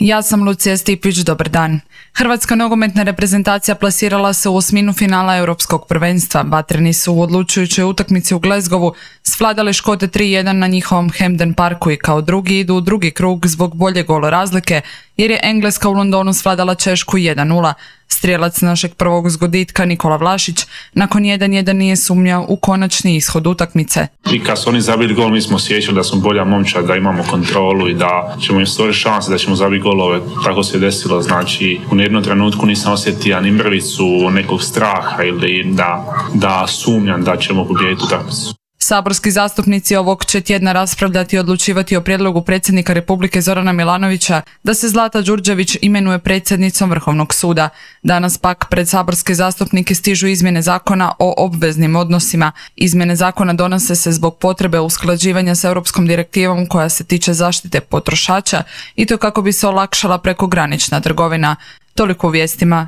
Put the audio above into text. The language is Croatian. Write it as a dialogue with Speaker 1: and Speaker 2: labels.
Speaker 1: Ja sam Lucija Stipić, dobar dan. Hrvatska nogometna reprezentacija plasirala se u osminu finala Europskog prvenstva. Batreni su u odlučujućoj utakmici u Glasgowu svladali Škote 3-1 na njihovom Hampden Parku i kao drugi idu u drugi krug zbog bolje golo razlike, jer je Engleska u Londonu svladala Češku 1-0. Strijelac našeg prvog zgoditka Nikola Vlašić nakon 1-1 nije sumnjao u konačni ishod utakmice.
Speaker 2: I kad su oni zabili gol, mi smo osjećali da smo bolja momčad, da imamo kontrolu i da ćemo im stvoriti šanse da ćemo zabiti golove. Tako se desilo, znači u jednom trenutku nisam osjetio ni mrvicu nekog straha ili da sumnjam da ćemo pobijediti utakmicu.
Speaker 1: Saborski zastupnici ovog će tjedna raspravljati i odlučivati o prijedlogu predsjednika Republike Zorana Milanovića da se Zlata Đurđević imenuje predsjednicom Vrhovnog suda. Danas pak pred saborske zastupnike stižu izmjene zakona o obveznim odnosima. Izmjene zakona donose se zbog potrebe usklađivanja s europskom direktivom koja se tiče zaštite potrošača i to kako bi se olakšala prekogranična trgovina. Toliko u vijestima,